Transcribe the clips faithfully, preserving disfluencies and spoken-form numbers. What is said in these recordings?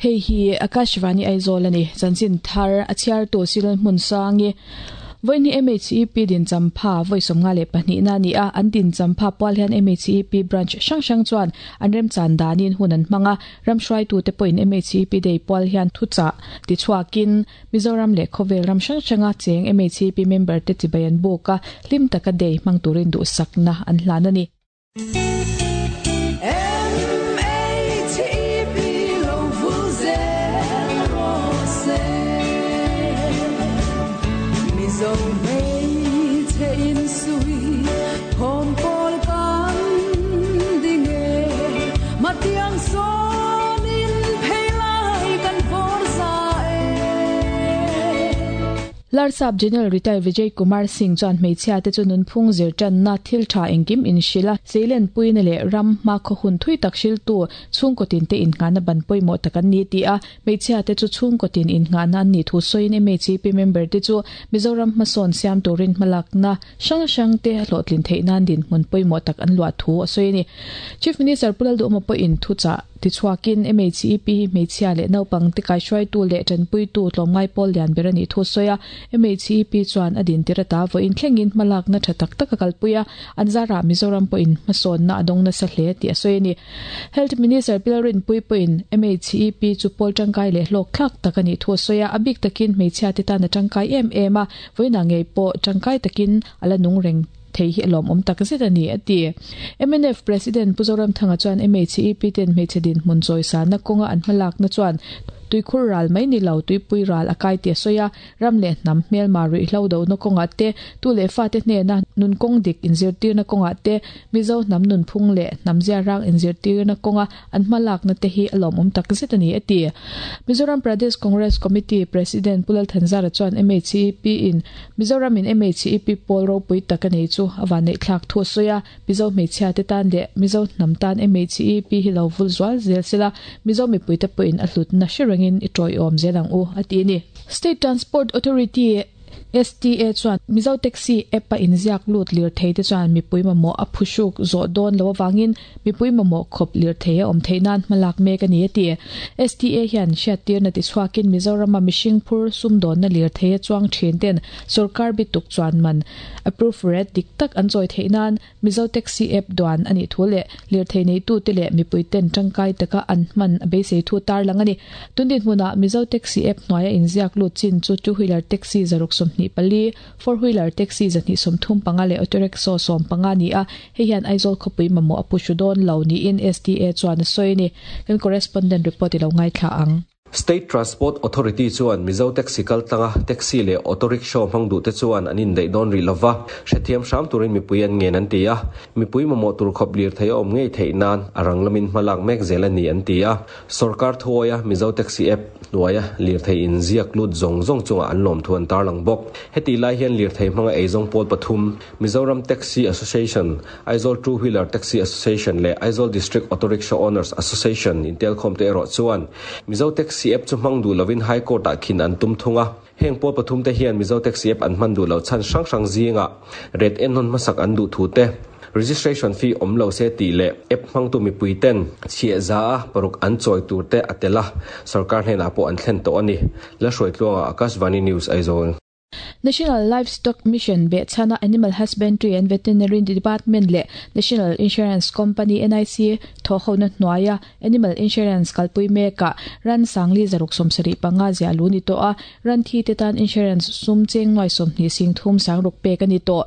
Hei hi Akashvani Aizawl ani chanchin thar a chhiar tu sil hmun sangi voini M H E P din champha voi somnga le pahnih na ni a an din champha pawal hian M H E P branch hrang hrang chuan an rem chan danin hun an hmanga ramhruai tu te pawhin M H E P day pawal hian thucha ti chhuakin Mizoram le khawvel ram hrang hranga cheng M H E P member te chibai an buka hlim taka day hmang turin duh sakna an hlan ani. Larsap General Retired Vijay Kumar Singh chuan hmeichhia te chu nunphung zir tanna thil tha engkim in hrila seilen puina leh ram hma khaw hun thui tak hril tu chhungkaw tin te innghahna ban pawimawh tak an ni ti a hmeichhia te chu chhungkaw tin innghahna an ni thu sawiin M H E P member te chu Mizoram hmasawn siam turin hmalakna hrang hrang te hlawhtlin theih nan dinhmun pawimawh tak an luah thu a sawi a ni. Chief Minister Pulal Duhma pawhin thu chah ti chhuakin M H E P hmeichhia leh naupang te kaihruai tu leh tanpui tu tlawmngai pawl lian ber ani thu sawi a M H E P chuan a din tirata vawiin thlengin hmalakna tha tak tak a kalpui a an zara Mizoram pawhin hmasawnna a dawng nasa hle tih a sawi a ni. Health Minister Pilarin Pui pawhin M H E P chu pawl tangkai leh hlawk thlak tak ani thu sawi a a bik takin hmeichhia te tan a tangkai em em a vawiin ah ngei pawh tangkai takin ala nung reng thei hi alawm awm tak zet ani a ti. M N F President Puzoram Thanga chuan M H E P ten hmeichhe din hmun chawi sana kawnga an hmalakna chuan tuikhur ral mai ni lo tuipui ral a kai ti a sawi a ram leh hnam hmel ma ruih hlo do na kawnga te tu leh fa te hnena nun kawng dik inzirtirna kawnga te Mizo hnam nun phung leh hnam zia rang inzirtirna kawnga an hmalakna te hi alawm awm tak zet ani a ti. Mizoram Pradesh Congress Committee President Pulal Thanzara chuan M H E P in Mizoram in M H E P pawl ropui tak ani chu awan nei thlak thu sawi a Mizo hmeichhia te tan leh Mizo hnam tan M H E P hi lo vul zual zel sela Mizo mipui te pawhin a hlutna hrerengin i tawi awm zelang u a ti ni. State Transport Authority S T A chuan Mizo Taxi app a inziak lut lir thei te chuan mipui mamawh a phuhruk zawh dawn lo awangin mipui mamawh khawp lir thei a awm theih nan hmalak mek ani a ti. S T A hian hriattirna ti chhuakin Mizorama mihring phur sum dawnna lir thei a chuang thin ten sarkar bituk chuan man approve rate dik tak an chawi theih nan Mizo Taxi app duan ani thu leh lir thei nei tu te leh mipui ten tangkai taka an hman a beisei thu tar lang ani. Tundin hmuna Mizo Taxi app hnuaia inziak lut chin chu two wheeler taxi zaruk sawmhnih pali four wheeler taxi zahnih sawmthum panga leh auto rickshaw sawm panga ni a hei hian Aizawl khawpui mamawh a phuhru dawn lo niin S T A chuan a sawi ni. Kan correspondent report i lo ngaithla ang. State Transport Authority chuan Mizo Taxi kaltlanga taxi leh auto rickshaw hmang duh te chuan an indaih dawn rih lova hrethiam hram turin mipui an ngen an ti a mipui mamawh tur khawp lir thei a awm ngei theih nan a rang lamin hmalak mek zel ani an ti a sarkar thuaia Mizo Taxi app hnuaia lir thei inziak lut zawng zawng chunga an lawm thu an tarlang bawk heti lai hian lir thei hmanga eizawng pawl pathum Mizoram Taxi Association Aizawl Two Wheeler Taxi Association leh Aizawl District Auto Rickshaw Owners Association intel khawm te erawh chuan Mizo Taxi app chu hmang duh lovin High Court ah khin an tum thunga heng pawl pathum te hian Mizo Taxi app an hman duh lo chan hrang hrang zinga ret en hawn hmasak an duh thu te registration fee awm lo se tih leh app hmang tu mipui ten chhiah za a paruk an chawi tur te a tela sarkar hnenah pawh an thlen tawh ani la hruai tluanga Akashvani News Aizawl. National Livestock Mission Bechana Animal Husbandry and Veterinary Department le National Insurance Company N I C thohona hnuaia Animal Insurance kalpui meka ran sangli zaruk somsari panga zia lu ni to a ran thi te tan insurance sum cheng noi somni sing thum sang ruk pe ka ni to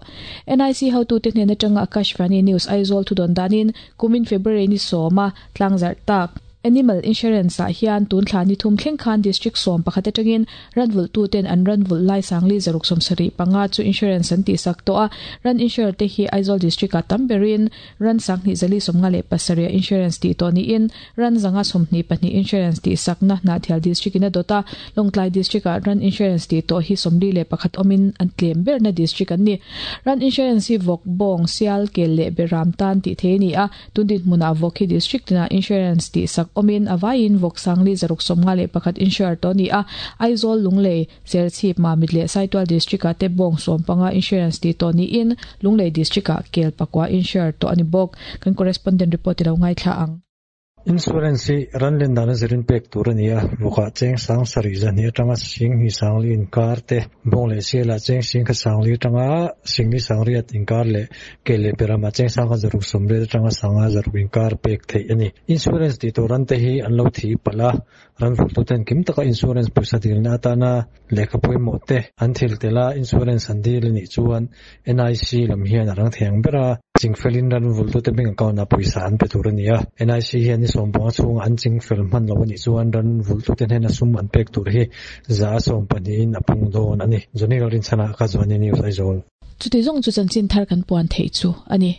N I C how tu te hnen atanga Akashvani News Aizawl thu don danin kumin February ni soma tlangzar tak Animal Insurance ah hian tun thla ni thum thleng khan district som pakhat atangin ranvul tu ten an ranvul lai sangli zaruk somsari panga chu insurance an ti sak to a ran insure te hi Aizawl district a tamberin ran sangni zali somnga le pasaria insurance ti to ni in ran zanga somni pahnih insurance ti sakna na thial district ina dota Longtlai district a ran insurance ti to hi somli le pakhat omin an tlem ber na district an ni ran insurance hi vok bong sial ke le beram tan ti the ni a tundin hmuna vok hi district na insurance ti sak omin avain vok sangli zaruk somnga le pakhat insure to ni a Aizawl Lunglei Serchhip Mamit le Saitual district a te bong som panga insurance ti to ni in Lunglei district a kel pakwa insure to ani bok kan correspondent report ilo ngai thla ang. Insurance hi ran len dan a zirin pek tur a ni a, vawkah cheng sang sarih zahnih atanga sing hnih sangli inkar te, bawng leh sialah cheng sing khat sangli atanga singli sangriat inkar leh ke leh beramah cheng sang khat zaruk sawmriat atanga sanga zaruk inkar pek theih a ni. Insurance tih tur ran te hi an lo thi palh a, ran vultu ten kim taka insurance pawisa dilna atana lehkha pawimawh te an thil tel a, insurance an dil a nih chuan N I C lam hian a rang thei ang ber a, chingfelin ran vultu te bank account ah pawisa an pe tur a ni a. N I C hian ni sawm panga chhunga an chingfel hman lo a nih chuan ran vultu te hnena sum an pek tur hi za sawm pahnihin a pung dawn a ni. Johnny Lalrinchhana ka Zuani News, Aizawl. Chuti zawng chu chanchin thar kan puan theih chu a ni.